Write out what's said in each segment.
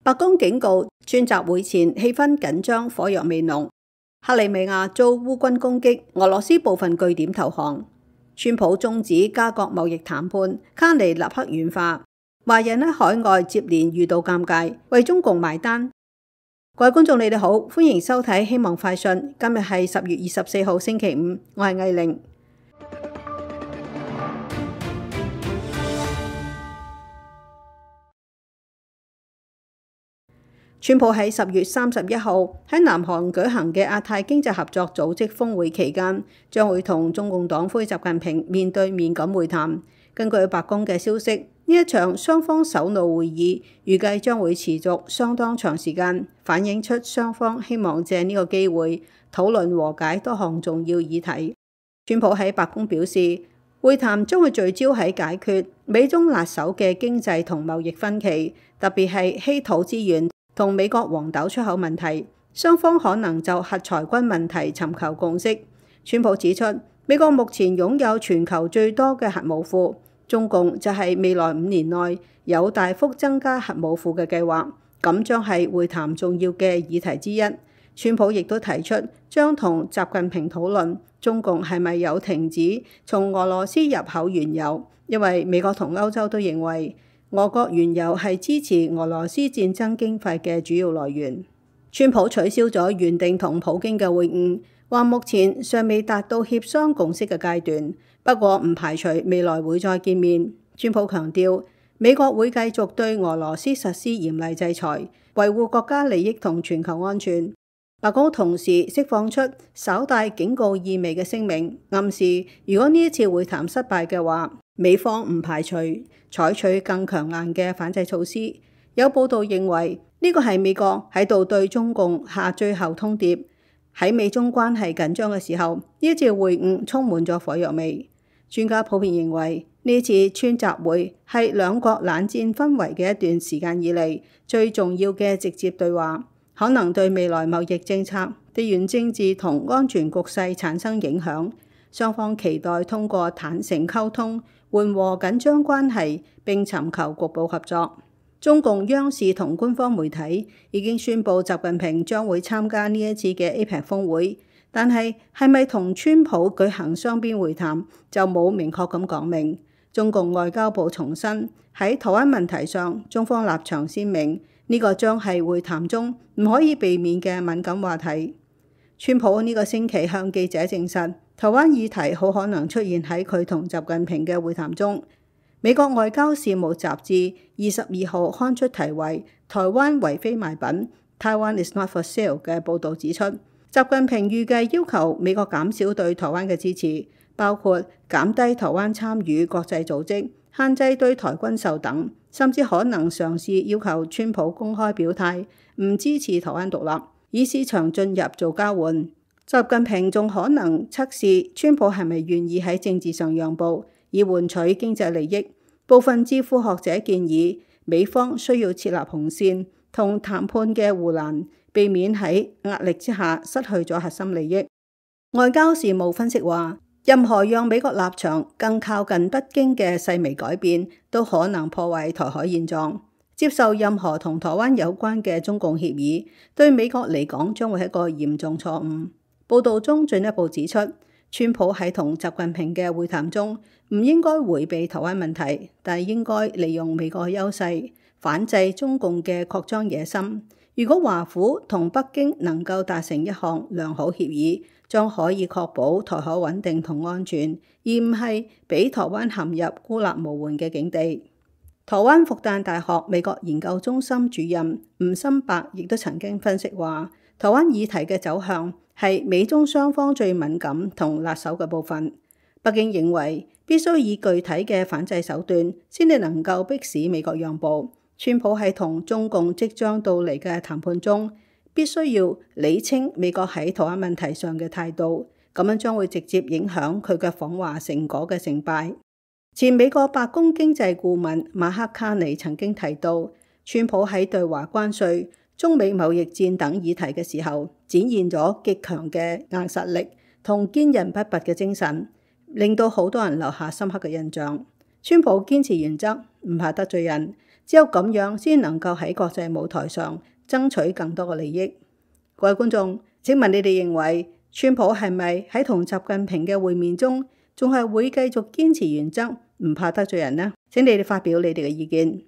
白宮警告，川習會前氣氛緊張，火藥味濃。克里米亞遭烏軍攻擊，俄羅斯部分據點投降。川普終止加國貿易談判，卡尼立刻軟化。華人喺海外接連遇到尷尬，為中共埋單。各位觀眾，你哋好，歡迎收睇希望快訊。今日係10月24號星期五，我係艾玲。川普喺10月31號喺南韓舉行嘅亞太經濟合作組織峰會期間，將會同中共黨魁習近平面對面咁會談。根據白宮嘅消息，呢一場雙方首腦會議預計將會持續相當長時間，反映出雙方希望借呢個機會討論和解多項重要議題。川普喺白宮表示，會談將會聚焦喺解決美中辣手嘅經濟同貿易分歧，特別係稀土資源同美國黃豆出口問題，雙方可能就核裁軍問題尋求共識。川普指出，美國目前擁有全球最多嘅核武庫，中共就係未來5年內有大幅增加核武庫嘅計劃，咁將係會談重要嘅議題之一。川普亦都提出將同習近平討論中共係咪有停止從俄羅斯入口原油，因為美國同歐洲都認為俄國原油係支持俄羅斯戰爭經費嘅主要來源。川普取消咗原定同普京嘅會晤，話目前尚未達到協商共識嘅階段，不過唔排除未來會再見面。川普強調，美國會繼續對俄羅斯實施嚴厲制裁，維護國家利益同全球安全。白宮同時釋放出稍帶警告意味嘅聲明，暗示如果呢一次會談失敗嘅話，美方唔排除採取更強硬嘅反制措施。有報道認為呢個係美國喺度對中共下最後通牒。喺美中關係緊張嘅時候，呢一次會晤充滿咗火藥味。專家普遍認為呢次川習會係兩國冷戰氛圍嘅一段時間以嚟最重要嘅直接對話，可能對未來貿易政策、地緣政治同安全局勢產生影響。雙方期待通過坦誠溝通緩和緊張關係，並尋求局部合作。中共央視同官方媒體已經宣布習近平將會參加呢一次嘅 APEC 峰會，但係咪同川普舉行雙邊會談就冇明確咁講明。中共外交部重申喺台灣問題上，中方立場鮮明，呢個將係會談中唔可以避免嘅敏感話題。川普呢個星期向記者證實，台灣議題好可能出現喺佢同習近平嘅會談中。美國外交事務雜誌22號刊出題為《台灣為非賣品 Taiwan is not for sale》嘅報導指出，習近平預計要求美國減少對台灣嘅支持，包括減低台灣參與國際組織、限制對台軍售等，甚至可能嘗試要求川普公開表態唔支持台灣獨立，以市場進入做交換。習近平仲可能測試川普係咪願意喺政治上讓步，以換取經濟利益。部分智庫學者建議，美方需要設立紅線同談判嘅護欄，避免喺壓力之下失去咗核心利益。外交事務分析話，任何讓美國立場更靠近北京嘅細微改變，都可能破壞台海現狀。接受任何同台灣有關嘅中共協議，對美國嚟講將會係一個嚴重錯誤。報道中進一步指出，川普喺同習近平嘅會談中唔應該迴避台灣問題，但係應該利用美國嘅優勢反制中共嘅擴張野心。如果華府同北京能夠達成一項良好協議，將可以確保台海穩定同安全，而唔係俾台灣陷入孤立無援嘅境地。台灣復旦大學美國研究中心主任吳心伯亦都曾經分析話，台灣議題嘅走向係美中雙方最敏感同辣手嘅部分。北京認為必須以具體嘅反制手段，先至能夠迫使美國讓步。川普喺同中共即將到嚟嘅談判中，必須要理清美國喺台灣問題上嘅態度，咁樣將會直接影響佢嘅訪華成果嘅成敗。前美國白宮經濟顧問馬克卡尼曾經提到，川普喺對華關稅、中美貿易戰等議題嘅時候，展現咗極強嘅硬實力同堅韌不拔嘅精神，令到好多人留下深刻嘅印象。川普堅持原則，唔怕得罪人，只有咁樣先能夠喺國際舞台上爭取更多嘅利益。各位觀眾，請問你哋認為川普係咪喺同習近平嘅會面中，仲係會繼續堅持原則，唔怕得罪人呢？請你哋發表你哋嘅意見。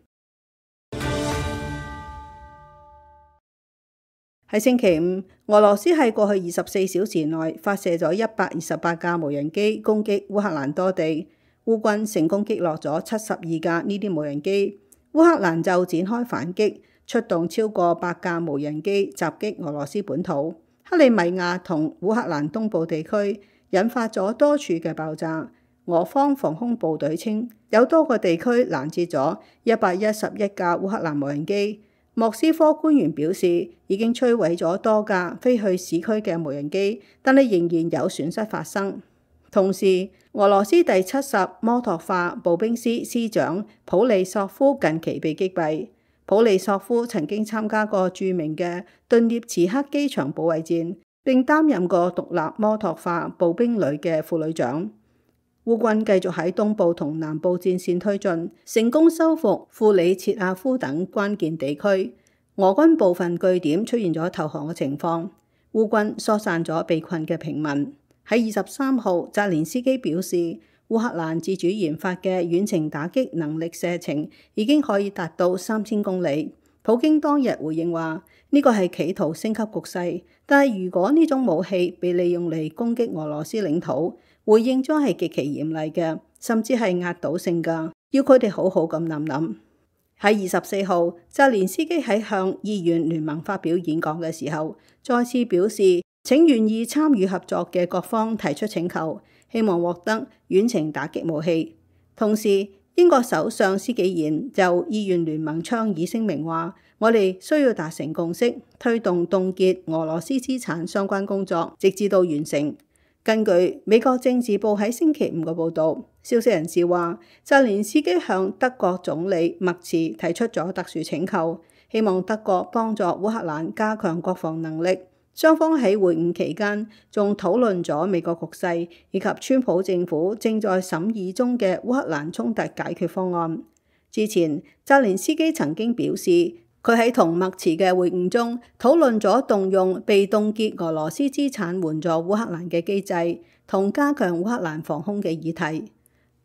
喺星期五，俄羅斯喺過去24小時內發射咗128架無人機攻擊烏克蘭多地，烏軍成功擊落咗72架呢啲無人機，烏克蘭就展開反擊，出動超過100架無人機襲擊俄羅斯本土、克里米亞同烏克蘭東部地區，引發咗多處嘅爆炸。俄方防空部隊稱，有多個地區攔截咗111架烏克蘭無人機。莫斯科官員表示，已經摧毀咗多架飛去市區嘅無人機，但係仍然有損失發生。同時，俄羅斯第70摩托化步兵師師長普利索夫近期被擊斃。普利索夫曾經參加過著名嘅頓涅茨克機場保衛戰，並擔任過獨立摩托化步兵旅嘅副旅長。烏軍繼續喺東部同南部戰線推進，成功收復庫里切亞夫等關鍵地區。俄軍部分據點出現咗投降嘅情況，烏軍疏散咗被困嘅平民。喺23號，澤連斯基表示，烏克蘭自主研發嘅遠程打擊能力射程已經可以達到3000公里。普京當日回應話，呢個係企圖升級局勢，但係如果呢種武器被利用嚟攻擊俄羅斯領土，回應將係極其嚴厲嘅，甚至係壓倒性㗎，要佢哋好好咁諗諗。喺24號，澤連斯基喺向議員聯盟發表演講嘅時候，再次表示請願意參與合作嘅各方提出請求，希望獲得遠程打擊武器。同時，英國首相施紀賢就議員聯盟倡議聲明話，我哋需要達成共識，推動凍結俄羅斯資產相關工作，直至到完成。根據美國政治報喺星期五嘅報導，消息人士話，澤連斯基向德國總理默茨提出咗特殊請求，希望德國幫助烏克蘭加強國防能力。雙方喺會晤期間仲討論咗美國局勢以及川普政府正在審議中嘅烏克蘭衝突解決方案。之前，澤連斯基曾經表示，佢喺同默茨嘅會晤中討論咗動用被凍結俄羅斯資產援助烏克蘭嘅機制，同加強烏克蘭防空嘅議題。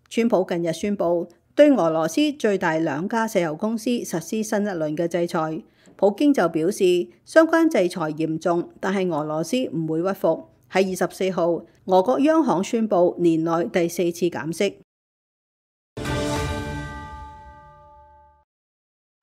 川普近日宣布對俄羅斯最大2家石油公司實施新一輪嘅制裁。普京就表示，相關制裁嚴重，但係俄羅斯唔會屈服。喺24號，俄國央行宣布年內第4次減息。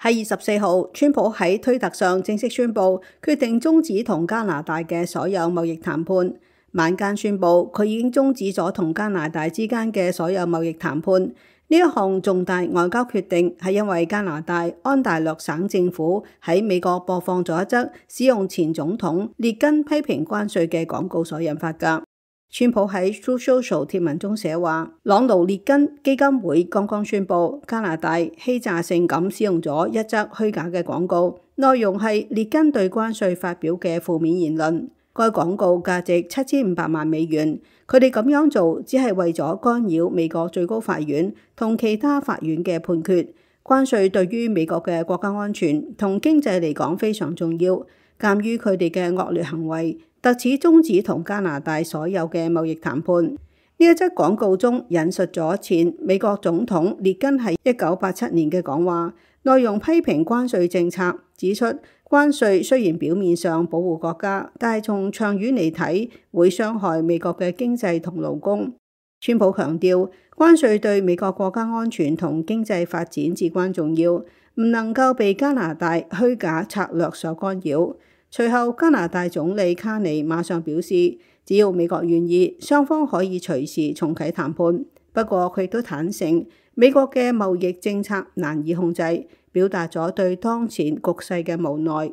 喺24號，川普喺推特上正式宣布決定終止同加拿大嘅所有貿易談判。晚間宣布佢已經終止咗同加拿大之間嘅所有貿易談判。呢一項重大外交決定係因為加拿大安大略省政府喺美國播放咗一則使用前總統列根批評關稅嘅廣告所引發㗎。川普喺 Truth Social 貼文中寫話，朗奴列根基金會剛剛宣布加拿大欺詐性咁使用咗一則虛假嘅廣告，內容係列根對關稅發表嘅負面言論。該廣告價值7500萬美元，佢哋咁樣做只係為咗干擾美國最高法院同其他法院嘅判決。關稅對於美國嘅國家安全同經濟嚟講非常重要。鑑於佢哋嘅惡劣行為，特此終止同加拿大所有嘅貿易談判。呢一則廣告中引述咗前美國總統列根喺1987年嘅講話，內容批評關稅政策，指出關稅雖然表面上保護國家，但係從長遠嚟睇會傷害美國嘅經濟同勞工。川普強調，關稅對美國國家安全同經濟發展至關重要，唔能夠被加拿大虛假策略所干擾。隨後，加拿大總理卡尼馬上表示，只要美國願意，雙方可以隨時重啟談判。不過，佢亦都坦承美國嘅貿易政策難以控制，表達咗對當前局勢嘅無奈。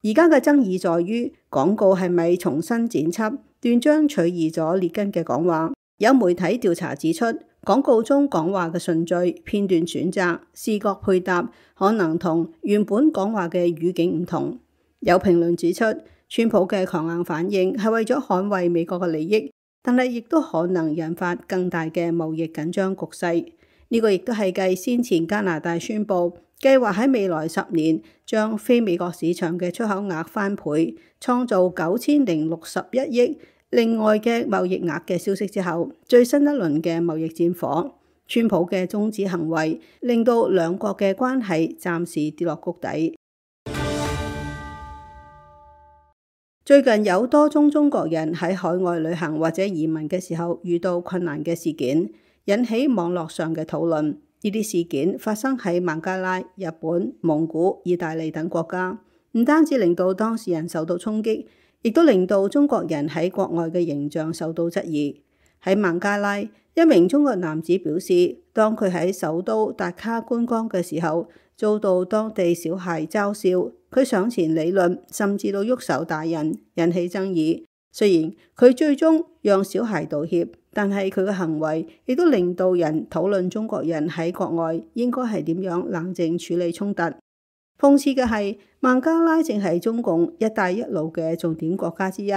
而家嘅爭議在於廣告係咪重新剪輯，斷章取義咗列根嘅講話。有媒體調查指出，廣告中講話嘅順序、片段選擇、視覺配搭可能同原本講話嘅語境唔同。有評論指出，川普嘅強硬反應係為咗捍衛美國嘅利益，但係亦都可能引發更大嘅貿易緊張局勢。呢個亦都係繼先前加拿大宣布計劃喺未來10年將非美國市場嘅出口額翻倍，創造9061億另外嘅貿易額嘅消息之後，最新一輪嘅貿易戰火，川普嘅終止行為令到兩國嘅關係暫時跌落谷底。最近有多宗中國人喺海外旅行或者移民嘅時候遇到困難嘅事件，引起網絡上嘅討論。呢啲事件發生喺孟加拉、日本、蒙古、意大利等國家，唔單止令到當事人受到衝擊，亦都令到中國人喺國外嘅形象受到質疑。喺孟加拉，一名中國男子表示，當佢喺首都達卡觀光嘅時候，遭到當地小孩嘲笑，佢上前理論，甚至到喐手打人，引起爭議。雖然佢最終讓小孩道歉，但係佢嘅行為亦都令到人討論中國人喺國外應該係點樣冷靜處理衝突。諷刺嘅係，孟加拉正係中共一帶一路嘅重點國家之一，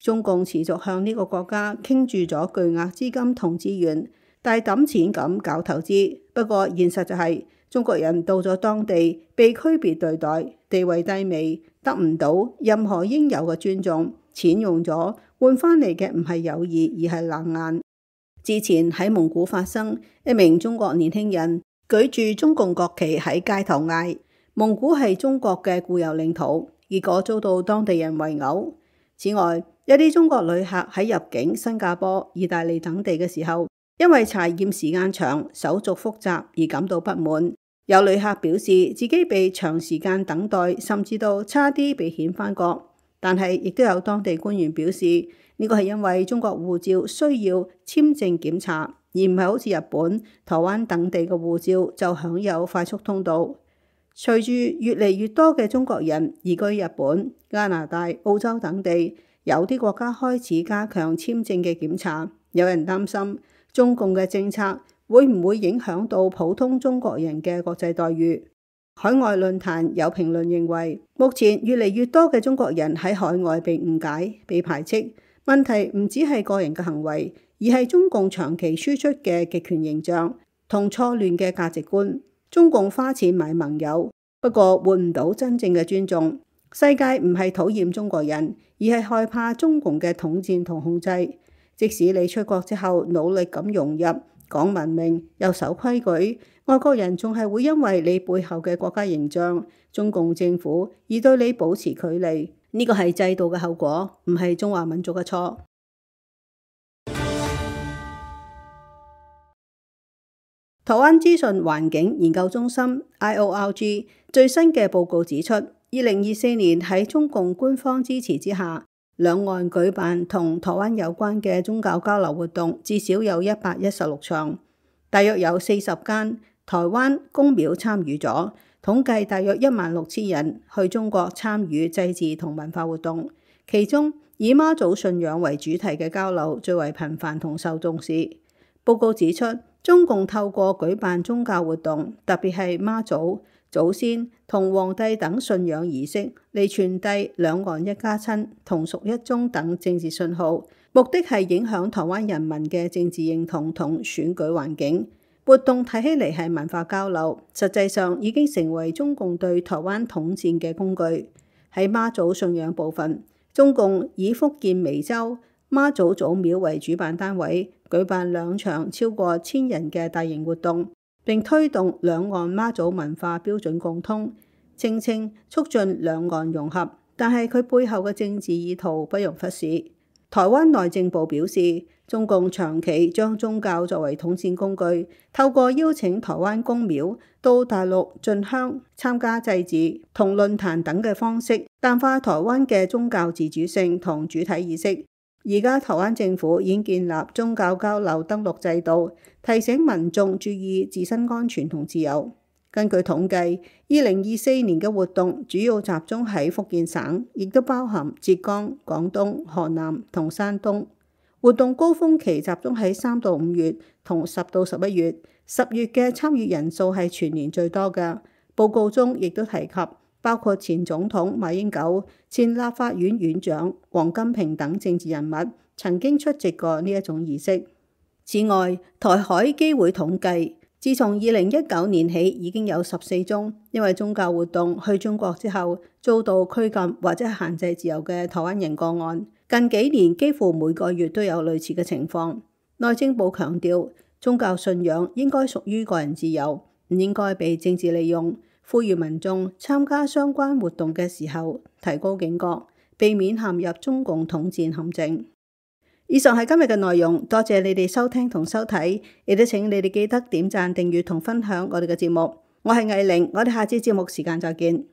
中共持續向呢個國家傾注咗巨額資金同資源，大抌錢咁搞投資。不過現實就係，中國人到咗當地被區別對待，地位低微，得唔到任何應有嘅尊重。錢用咗，換翻嚟嘅唔係友誼，而係冷眼。之前喺蒙古發生，一名中國年輕人舉住中共國旗喺街頭嗌蒙古係中國嘅固有領土，結果遭到當地人圍毆。此外，一啲中國旅客喺入境新加坡、意大利等地嘅時候，因為查驗時間長、手續複雜而感到不滿。有旅客表示自己被長時間等待，甚至到差啲被遣返國。但係亦都有當地官員表示，呢個係因為中國護照需要簽證檢查，而唔係好似日本、台灣等地嘅護照就享有快速通道。隨住越嚟越多嘅中國人移居日本、加拿大、澳洲等地，有啲國家開始加強簽證嘅檢查。有人擔心中共嘅政策會唔會影響到普通中國人嘅國際待遇。海外論壇有評論認為，目前越嚟越多嘅中國人喺海外被誤解、被排斥。問題唔只係個人嘅行為，而係中共長期輸出嘅極權形象同錯亂嘅價值觀。中共花錢買盟友，不過換唔到真正嘅尊重。世界唔係討厭中國人，而係害怕中共嘅統戰同控制。即使你出國之後努力咁融入，講文明又守規矩，外國人仲係會因為你背後嘅國家形象、中共政府而對你保持距離。呢個係制度嘅後果，唔係中華民族嘅錯。台灣資訊環境研究中心 IORG 最新嘅報告指出，2024年喺中共官方支持之下，兩岸舉辦同台灣有關嘅宗教交流活動至少有116場，大約有40間台灣公廟參與咗，統計大約16000人去中國參與祭祀同文化活動，其中以媽祖信仰為主題嘅交流最為頻繁同受重視。報告指出，中共透過舉辦宗教活動，特別係媽祖、祖先同皇帝等信仰儀式，嚟傳遞兩岸一家親、同屬一宗等政治信號，目的係影響台灣人民嘅政治認同同選舉環境。活動睇起嚟係文化交流，實際上已經成為中共對台灣統戰嘅工具。喺媽祖信仰部分，中共以福建湄洲媽祖祖廟為主辦單位，舉辦2場超過1000人嘅大型活動，並推動兩岸媽祖文化標準共通，聲稱促進兩岸融合。但係佢背後嘅政治意圖不容忽視。台灣內政部表示，中共長期將宗教作為統戰工具，透過邀請台灣公廟到大陸進香、參加祭祀同論壇等嘅方式，淡化台灣嘅宗教自主性同主體意識。而家台灣政府已經建立宗教交流登錄制度，提醒民眾注意自身安全同自由。根據統計，2024年嘅活動主要集中喺福建省，亦都包含浙江、廣東、河南同山東。活動高峰期集中喺3到5月同10到11月，10月嘅參與人數係全年最多嘅。報告中亦都提及，包括前總統馬英九、前立法院院長王金平等政治人物曾經出席過呢一種儀式。此外，台海基會統計自從2019年起，已經有14宗因為宗教活動去中國之後遭到拘禁或者限制自由嘅台灣人個案。近幾年幾乎每個月都有類似嘅情況。內政部強調，宗教信仰應該屬於個人自由，唔應該被政治利用，呼籲民眾參加相關活動嘅時候提高警覺，避免陷入中共統戰陷阱。以上係今日嘅內容，多謝你哋收聽同收睇，亦都請你哋記得點讚、訂閱同分享我哋嘅節目。我係藝玲，我哋下次節目時間再見。